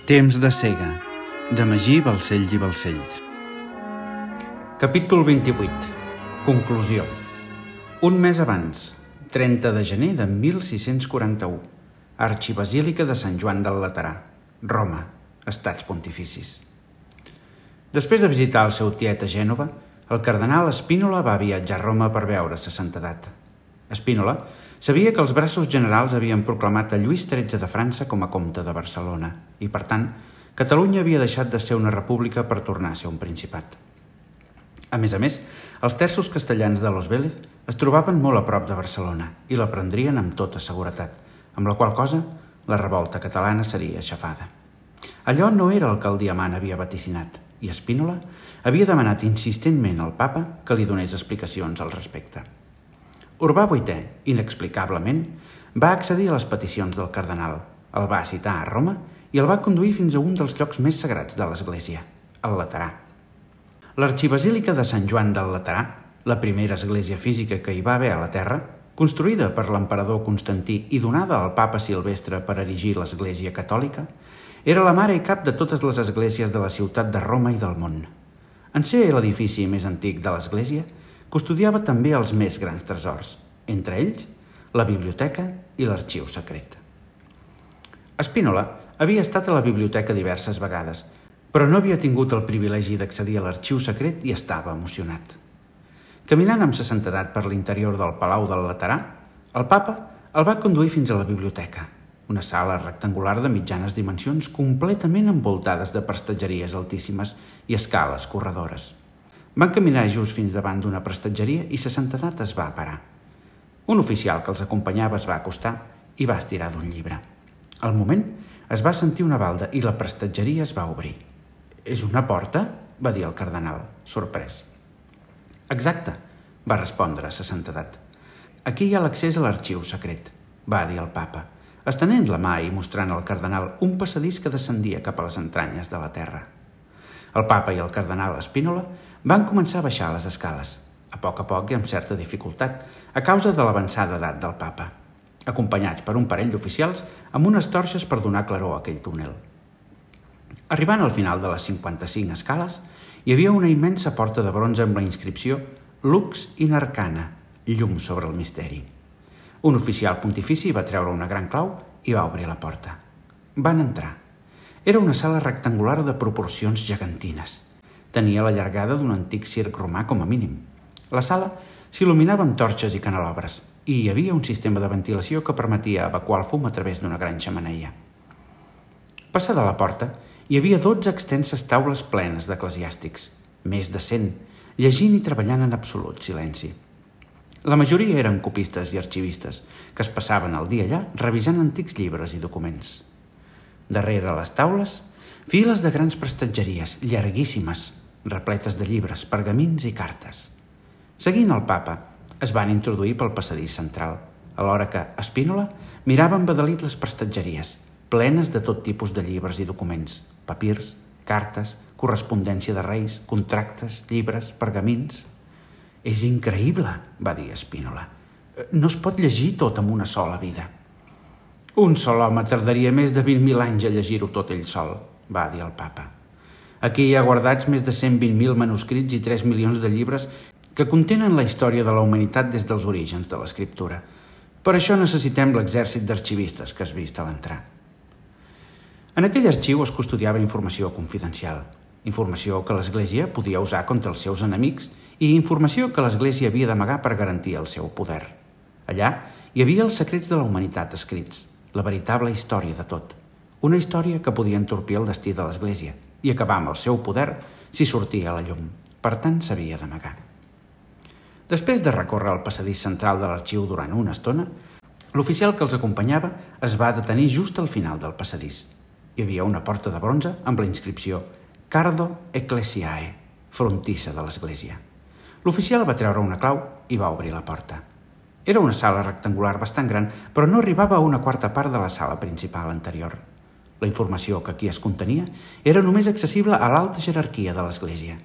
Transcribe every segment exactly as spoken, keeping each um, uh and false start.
Temps de cega, de Magí Balcells i Balcells. Capítol vint-i-vuit. Conclusió. Un mes abans, trenta de gener de mil sis-cents quaranta-u, Arxibasílica de Sant Joan del Laterà, Roma, Estats Pontificis. Després de visitar el seu tiet a Gènova, el cardenal Spínola va viatjar a Roma per veure sa santedat. Spínola sabia que els braços generals havien proclamat a Lluís tretze de França com a comte de Barcelona i, per tant, Catalunya havia deixat de ser una república per tornar a ser un principat. A més a més, els terços castellans de Los Vélez es trobaven molt a prop de Barcelona i la prendrien amb tota seguretat, amb la qual cosa la revolta catalana seria aixafada. Allò no era el que el diamant havia vaticinat i Spínola havia demanat insistentment al papa que li donés explicacions al respecte. Urbà vuitè, inexplicablement, va accedir a les peticions del cardenal, el va citar a Roma i el va conduir fins a un dels llocs més sagrats de l'Església, el Laterà. L'Arxibasílica de Sant Joan del Laterà, la primera església física que hi va haver a la terra, construïda per l'emperador Constantí i donada al papa Silvestre per erigir l'Església catòlica, era la mare i cap de totes les esglésies de la ciutat de Roma i del món. En ser l'edifici més antic de l'Església, custodiava també els més grans tresors, entre ells la biblioteca i l'arxiu secret. Spínola havia estat a la biblioteca diverses vegades, però no havia tingut el privilegi d'accedir a l'arxiu secret i estava emocionat. Caminant amb sa santedat per l'interior del Palau del Laterà, el papa el va conduir fins a la biblioteca, una sala rectangular de mitjanes dimensions completament envoltades de prestatgeries altíssimes i escales corredores. Van caminar just fins davant d'una prestatgeria i sa santedat es va parar. Un oficial que els acompanyava es va acostar i va estirar d'un llibre. Al moment es va sentir una balda i la prestatgeria es va obrir. «És una porta?», va dir el cardenal, sorprès. «Exacte», va respondre sa santedat. «Aquí hi ha l'accés a l'arxiu secret», va dir el papa, estenent la mà i mostrant al cardenal un passadís que descendia cap a les entranyes de la terra. El papa i el cardenal Spínola van començar a baixar les escales, a poc a poc i amb certa dificultat, a causa de l'avançada edat del papa, acompanyats per un parell d'oficials amb unes torxes per donar claror a aquell túnel. Arribant al final de les cinquanta-cinc escales, hi havia una immensa porta de bronze amb la inscripció «Lux in Arcana», llum sobre el misteri. Un oficial pontifici va treure una gran clau i va obrir la porta. Van entrar. Era una sala rectangular de proporcions gegantines. Tenia la llargada d'un antic circ romà com a mínim. La sala s'il·luminava amb torxes i canelobres i hi havia un sistema de ventilació que permetia evacuar el fum a través d'una gran xemeneia. Passada la porta, hi havia dotze extenses taules plenes d'eclesiàstics, més de cent, llegint i treballant en absolut silenci. La majoria eren copistes i arxivistes, que es passaven el dia allà revisant antics llibres i documents. Darrere les taules, files de grans prestatgeries, llarguíssimes, repletes de llibres, pergamins i cartes. Seguint el papa, es van introduir pel passadís central, alhora que Spínola mirava embadalit les prestatgeries, plenes de tot tipus de llibres i documents, papirs, cartes, correspondència de reis, contractes, llibres, pergamins. «És increïble», va dir Spínola. «No es pot llegir tot en una sola vida». «Un sol home tardaria més de vint mil anys a llegir-ho tot ell sol», va dir el papa. «Aquí hi ha guardats més de cent vint mil manuscrits i tres milions de llibres que contenen la història de la humanitat des dels orígens de l'escriptura. Per això necessitem l'exèrcit d'arxivistes que has vist a l'entrar». En aquell arxiu es custodiava informació confidencial, informació que l'Església podia usar contra els seus enemics i informació que l'Església havia d'amagar per garantir el seu poder. Allà hi havia els secrets de la humanitat escrits, la veritable història de tot, una història que podia entorpir el destí de l'Església i acabar amb el seu poder si sortia a la llum. Per tant, s'havia d'amagar. Després de recórrer el passadís central de l'arxiu durant una estona, l'oficial que els acompanyava es va detenir just al final del passadís. Hi havia una porta de bronze amb la inscripció «Cardo Ecclesiae», frontissa de l'Església. L'oficial va treure una clau i va obrir la porta. Era una sala rectangular bastant gran, però no arribava a una quarta part de la sala principal anterior. La informació que aquí es contenia era només accessible a l'alta jerarquia de l'Església.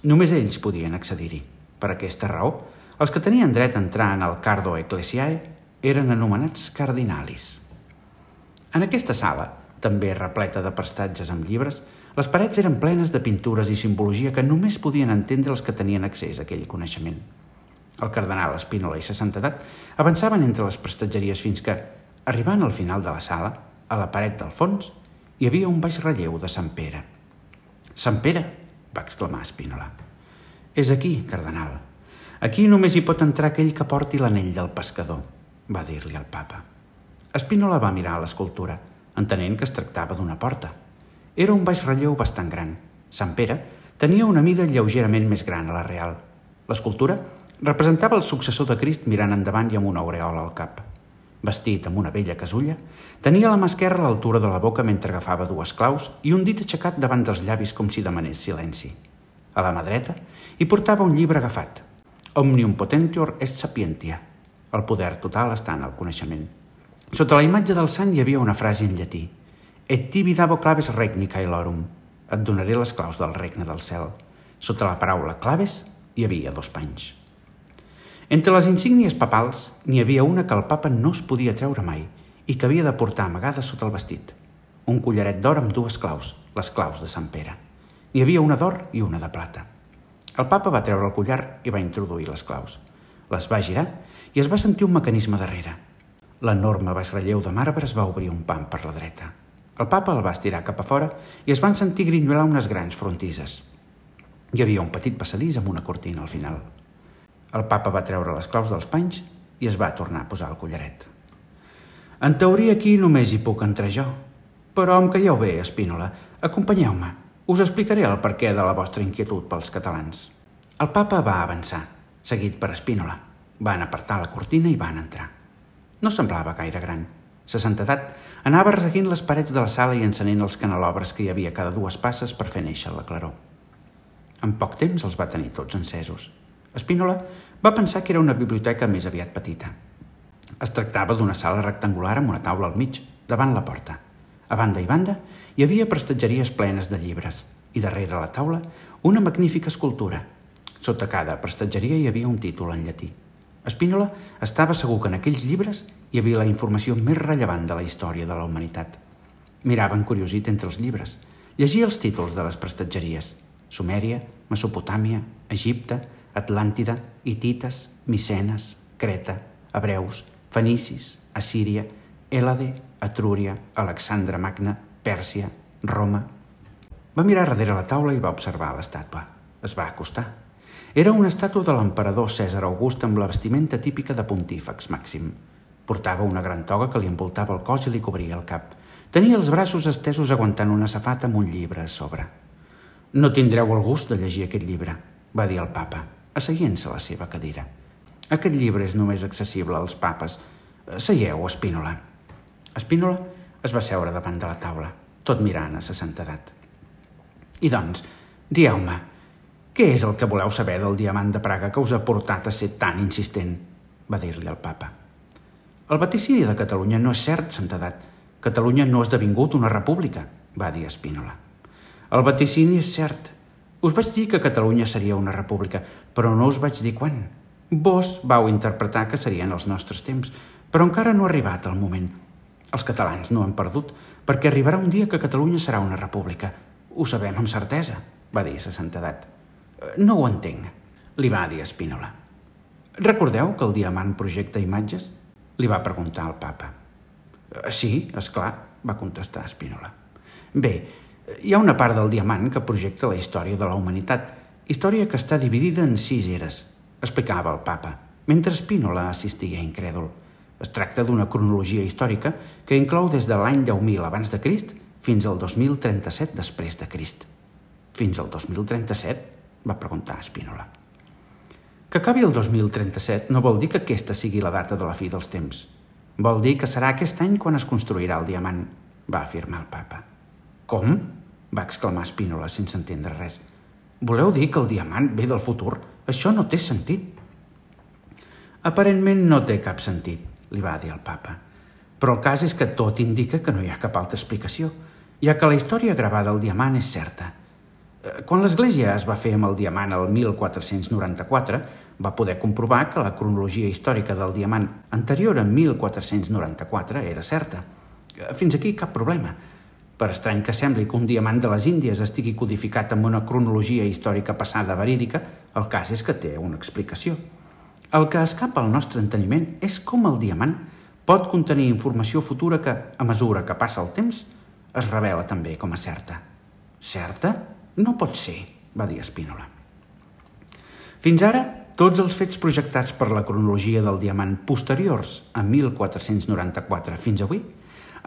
Només ells podien accedir-hi. Per aquesta raó, els que tenien dret a entrar en el Cardo Ecclesiae eren anomenats cardinalis. En aquesta sala, també repleta de prestatges amb llibres, les parets eren plenes de pintures i simbologia que només podien entendre els que tenien accés a aquell coneixement. El cardenal Spínola i sa santedat avançaven entre les prestatgeries fins que, arribant al final de la sala, a la paret del fons, hi havia un baix relleu de Sant Pere. «Sant Pere!», va exclamar Spínola. «És aquí, cardenal. Aquí només hi pot entrar aquell que porti l'anell del pescador», va dir-li el papa. Spínola va mirar l'escultura, entenent que es tractava d'una porta. Era un baix relleu bastant gran. Sant Pere tenia una mida lleugerament més gran a la real. L'escultura representava el successor de Crist mirant endavant i amb una aureola al cap. Vestit amb una vella casulla, tenia la mà esquerra a l'altura de la boca mentre agafava dues claus i un dit aixecat davant dels llavis com si demanés silenci. A la mà dreta hi portava un llibre agafat, Omnium potentior est sapientia. El poder total està en el coneixement. Sota la imatge del sant hi havia una frase en llatí: Et tibi dabo claves regni caelorum. Et donaré les claus del regne del cel. Sota la paraula claves hi havia dos panys. Entre les insígnies papals n'hi havia una que el papa no es podia treure mai i que havia de portar amagada sota el vestit. Un collaret d'or amb dues claus, les claus de Sant Pere. N'hi havia una d'or i una de plata. El papa va treure el collar i va introduir les claus. Les va girar i es va sentir un mecanisme darrere. L'enorme baix relleu de marbre es va obrir un pam per la dreta. El papa el va estirar cap a fora i es van sentir grinyolar unes grans frontisses. Hi havia un petit passadís amb una cortina al final. El papa va treure les claus dels panys i es va tornar a posar el collaret. En teoria aquí només hi puc entrar jo, però em calleu bé, Spínola, acompanyeu-me. Us explicaré el perquè de la vostra inquietud pels catalans. El papa va avançar, seguit per Spínola. Van apartar la cortina i van entrar. No semblava gaire gran. Sa santedat anava resseguint les parets de la sala i encenent els canelobres que hi havia cada dues passes per fer néixer la claror. En poc temps els va tenir tots encesos. Spínola va pensar que era una biblioteca més aviat petita. Es tractava d'una sala rectangular amb una taula al mig, davant la porta. A banda i banda hi havia prestatgeries plenes de llibres i darrere la taula una magnífica escultura. Sota cada prestatgeria hi havia un títol en llatí. Spínola estava segur que en aquells llibres hi havia la informació més rellevant de la història de la humanitat. Mirava encuriosit entre els llibres. Llegia els títols de les prestatgeries: Sumèria, Mesopotàmia, Egipte, Atlàntida, Hitites, Micenes, Creta, Hebreus, Fenicis, Assíria, Hèlade, Etrúria, Alexandre Magna, Pèrsia, Roma. Va mirar darrere la taula i va observar l'estàtua. Es va acostar. Era una estàtua de l'emperador Cèsar August amb la vestimenta típica de pontífex màxim. Portava una gran toga que li envoltava el cos i li cobria el cap. Tenia els braços estesos aguantant una safata amb un llibre a sobre. «No tindreu el gust de llegir aquest llibre», va dir el papa, asseient-se a la seva cadira. «Aquest llibre és només accessible als papes. Seieu, Spínola». Spínola es va seure davant de la taula, tot mirant a sa santedat. «I doncs, dieu-me, què és el que voleu saber del diamant de Praga que us ha portat a ser tan insistent?», va dir-li el papa. «El vaticini de Catalunya no és cert, santedat. Catalunya no ha esdevingut una república», va dir Spínola. «El vaticini és cert. Us vaig dir que Catalunya seria una república, però no us vaig dir quan. Vos vau interpretar que serien els nostres temps, però encara no ha arribat el moment. Els catalans no han perdut, perquè arribarà un dia que Catalunya serà una república. Ho sabem amb certesa», va dir sa santedat. «No ho entenc», li va dir Spínola. «Recordeu que el diamant projecta imatges?», li va preguntar el papa. «Sí, és clar», va contestar Spínola. «Bé, hi ha una part del diamant que projecta la història de la humanitat, història que està dividida en sis eres», explicava el papa, mentre Spínola assistia incrèdul. Es tracta d'una cronologia històrica que inclou des de l'any deu mil abans de Crist fins al dos mil trenta-set després de Crist. «Fins al dos mil trenta-set?», va preguntar Spínola. «Que acabi el dos mil trenta-set no vol dir que aquesta sigui la data de la fi dels temps. Vol dir que serà aquest any quan es construirà el diamant», va afirmar el papa. «Com?», va exclamar Spínola sense entendre res. «Voleu dir que el diamant ve del futur? Això no té sentit». «Aparentment no té cap sentit», li va dir el papa. «Però el cas és que tot indica que no hi ha cap altra explicació, ja que la història gravada al diamant és certa. Quan l'Església es va fer amb el diamant el mil quatre-cents noranta-quatre, va poder comprovar que la cronologia històrica del diamant anterior a mil quatre-cents noranta-quatre era certa. Fins aquí cap problema. Per estrany que sembli que un diamant de les Índies estigui codificat amb una cronologia històrica passada verídica, el cas és que té una explicació. El que escapa al nostre enteniment és com el diamant pot contenir informació futura que, a mesura que passa el temps, es revela també com a certa. Certa? No pot ser, va dir Spínola. Fins ara, tots els fets projectats per la cronologia del diamant posteriors a mil quatre-cents noranta-quatre fins avui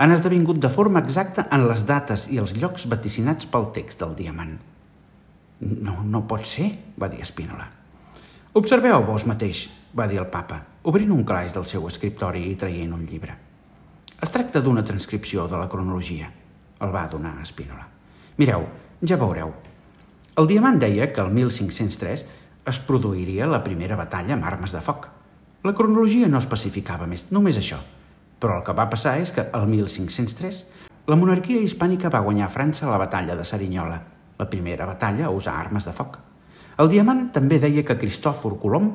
han esdevingut de forma exacta en les dates i els llocs vaticinats pel text del diamant. No, no pot ser, va dir Spínola. Observeu vos mateix, va dir el papa, obrint un calaix del seu escriptori i traient un llibre. Es tracta d'una transcripció de la cronologia, el va donar a Spínola. Mireu, ja veureu. El diamant deia que el mil cinc-cents tres es produiria la primera batalla amb armes de foc. La cronologia no especificava més, només això. Però el que va passar és que, el mil cinc-cents tres, la monarquia hispànica va guanyar a França la batalla de Cerignola, la primera batalla a usar armes de foc. El diamant també deia que Cristòfor Colom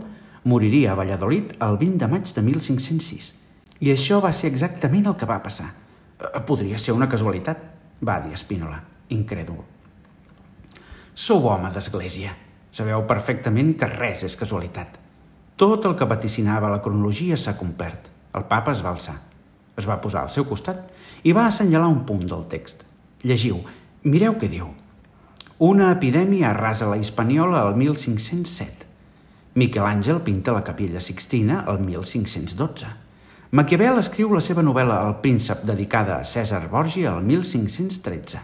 moriria a Valladolid el vint de maig de mil cinc-cents sis. I això va ser exactament el que va passar. Podria ser una casualitat, va dir Spínola, incrèdul. Sou home d'església. Sabeu perfectament que res és casualitat. Tot el que vaticinava la cronologia s'ha complert. El papa es va alçar, es va posar al seu costat i va assenyalar un punt del text. Llegiu, mireu què diu. Una epidèmia arrasa la Hispaniola el mil cinc-cents set. Miquel Àngel pinta la Capella Sixtina el mil cinc-cents dotze. Maquiavel escriu la seva novel·la El príncep dedicada a Cèsar Borgia el mil cinc-cents tretze.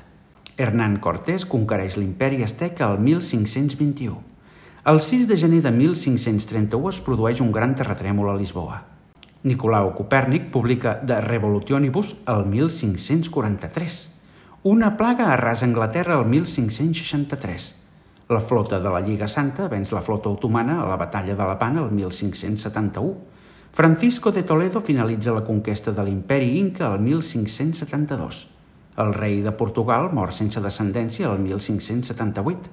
Hernán Cortés conquereix l'imperi asteca el mil cinc-cents vint-i-u. El sis de gener de mil cinc-cents trenta-u es produeix un gran terratrèmol a Lisboa. Nicolau Copèrnic publica De Revolutionibus el mil cinc-cents quaranta-tres. Una plaga arrasa Anglaterra el mil cinc-cents seixanta-tres. La flota de la Lliga Santa venç la flota otomana a la batalla de Lepant el mil cinc-cents setanta-u. Francisco de Toledo finalitza la conquesta de l'imperi Inca el mil cinc-cents setanta-dos. El rei de Portugal mor sense descendència el mil cinc-cents setanta-vuit.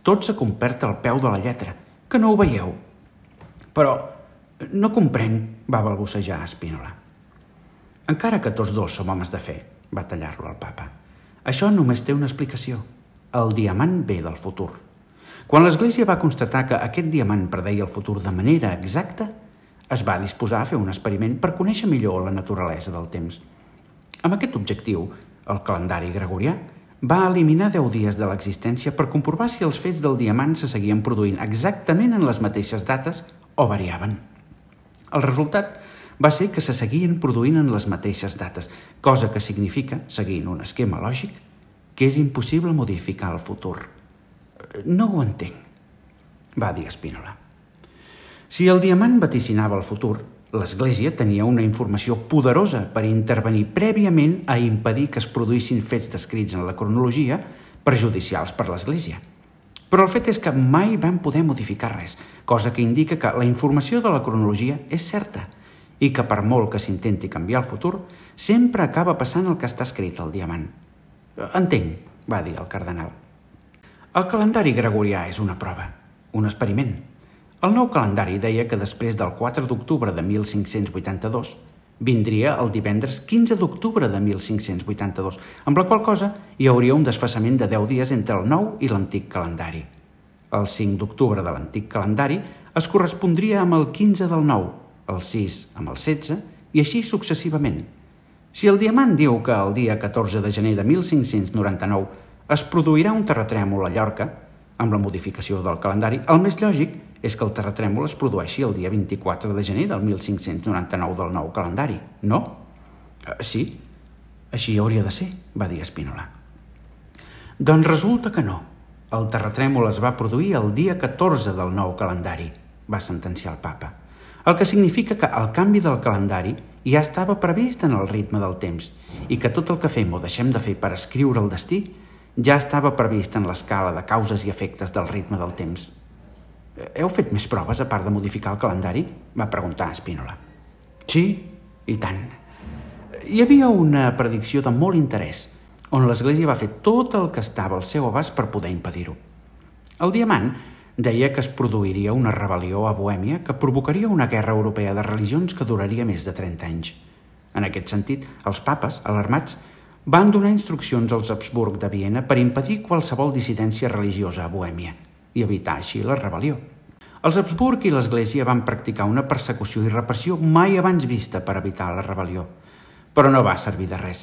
Tot s'ha complert al peu de la lletra, que no ho veieu. Però no comprenc, va balbucejar Spínola. Encara que tots dos som homes de fe, va tallar-lo el papa. Això només té una explicació. El diamant ve del futur. Quan l'Església va constatar que aquest diamant predeia el futur de manera exacta, es va disposar a fer un experiment per conèixer millor la naturalesa del temps. Amb aquest objectiu, el calendari gregorià va eliminar deu dies de l'existència per comprovar si els fets del diamant se seguien produint exactament en les mateixes dates o variaven. El resultat va ser que se seguien produint en les mateixes dates, cosa que significa, seguint un esquema lògic, que és impossible modificar el futur. No ho entenc, va dir Spínola. Si el diamant vaticinava el futur, l'Església tenia una informació poderosa per intervenir prèviament a impedir que es produïssin fets descrits en la cronologia perjudicials per l'Església. Però el fet és que mai van poder modificar res, cosa que indica que la informació de la cronologia és certa i que per molt que s'intenti canviar el futur, sempre acaba passant el que està escrit al diamant. Entenc, va dir el cardenal. El calendari gregorià és una prova, un experiment. El nou calendari deia que després del quatre d'octubre de mil cinc-cents vuitanta-dos vindria el divendres quinze d'octubre de mil cinc-cents vuitanta-dos, amb la qual cosa hi hauria un desfasament de deu dies entre el nou i l'antic calendari. El cinc d'octubre de l'antic calendari es correspondria amb el quinze del nou, el sis amb el setze i així successivament. Si el diamant diu que el dia catorze de gener de mil cinc-cents noranta-nou es produirà un terratrèmol a Llorca, amb la modificació del calendari, el més lògic és que el terratrèmol es produeixi el dia vint-i-quatre de gener del mil cinc-cents noranta-nou del nou calendari, no? Sí, així hauria de ser, va dir Spínola. Doncs resulta que no. El terratrèmol es va produir el dia catorze del nou calendari, va sentenciar el papa. El que significa que el canvi del calendari ja estava previst en el ritme del temps i que tot el que fem o deixem de fer per escriure el destí ja estava previst en l'escala de causes i efectes del ritme del temps. Heu fet més proves a part de modificar el calendari? Va preguntar Spínola. Sí, i tant. Hi havia una predicció de molt interès, on l'Església va fer tot el que estava al seu abast per poder impedir-ho. El diamant deia que es produiria una rebel·lió a Bohèmia que provocaria una guerra europea de religions que duraria més de trenta anys. En aquest sentit, els papes, alarmats, van donar instruccions als Habsburg de Viena per impedir qualsevol dissidència religiosa a Bohèmia i evitar així la rebel·lió. Els Habsburg i l'Església van practicar una persecució i repressió mai abans vista per evitar la rebel·lió, però no va servir de res,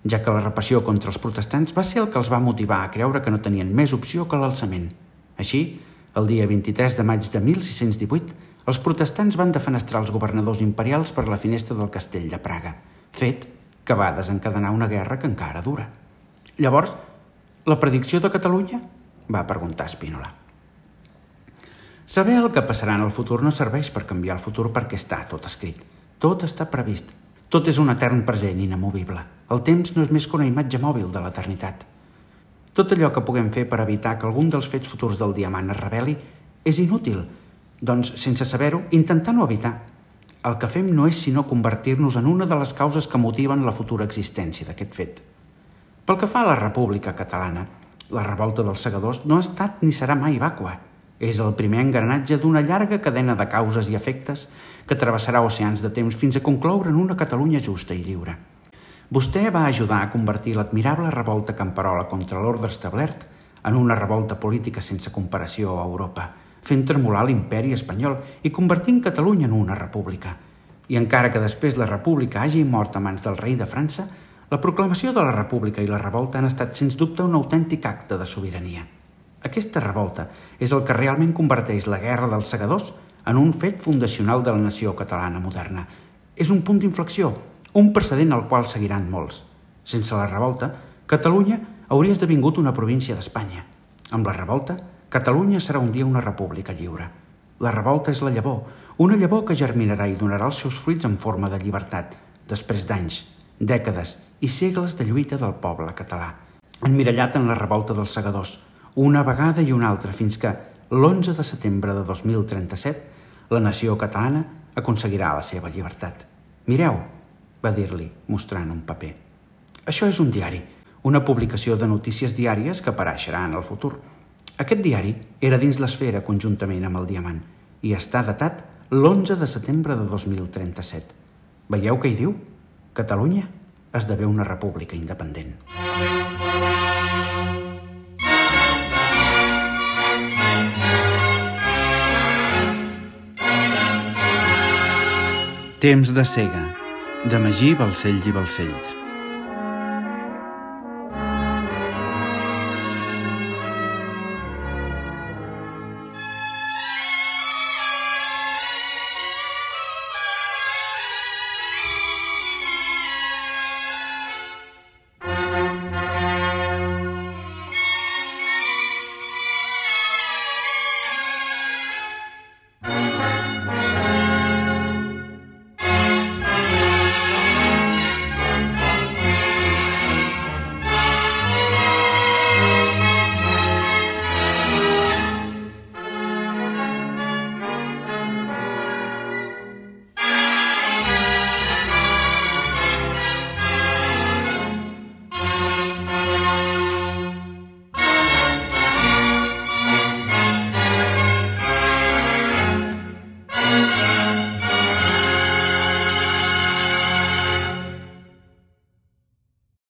ja que la repressió contra els protestants va ser el que els va motivar a creure que no tenien més opció que l'alçament. Així, el dia vint-i-tres de maig de mil sis-cents divuit, els protestants van defenestrar els governadors imperials per la finestra del castell de Praga, fet que va desencadenar una guerra que encara dura. Llavors, la predicció de Catalunya? Va preguntar Spínola. Saber el que passarà en el futur no serveix per canviar el futur perquè està tot escrit. Tot està previst. Tot és un etern present inamovible. El temps no és més que una imatge mòbil de l'eternitat. Tot allò que puguem fer per evitar que algun dels fets futurs del diamant es reveli és inútil, doncs, sense saber-ho, intentar no evitar. El que fem no és sinó convertir-nos en una de les causes que motiven la futura existència d'aquest fet. Pel que fa a la República Catalana, la revolta dels segadors no ha estat ni serà mai vàcua. És el primer engranatge d'una llarga cadena de causes i efectes que travessarà oceans de temps fins a concloure en una Catalunya justa i lliure. Vostè va ajudar a convertir l'admirable revolta camperola contra l'ordre establert en una revolta política sense comparació a Europa, fent tremolar l'imperi espanyol i convertint Catalunya en una república. I encara que després la república hagi mort a mans del rei de França, la proclamació de la república i la revolta han estat sens dubte un autèntic acte de sobirania. Aquesta revolta és el que realment converteix la guerra dels segadors en un fet fundacional de la nació catalana moderna. És un punt d'inflexió, un precedent al qual seguiran molts. Sense la revolta, Catalunya hauria esdevingut una província d'Espanya. Amb la revolta, Catalunya serà un dia una república lliure. La revolta és la llavor, una llavor que germinarà i donarà els seus fruits en forma de llibertat, després d'anys, dècades i segles de lluita del poble català, emmirallat en la revolta dels segadors, una vegada i una altra, fins que, l'onze de setembre de dos mil trenta-set, la nació catalana aconseguirà la seva llibertat. Mireu, va dir-li, mostrant un paper. Això és un diari, una publicació de notícies diàries que apareixerà en el futur. Aquest diari era dins l'esfera conjuntament amb el diamant i està datat l'onze de setembre de dos mil trenta-set. Veieu què hi diu? Catalunya esdevé una república independent. Temps de cega, de Magí Balcells i Balcells.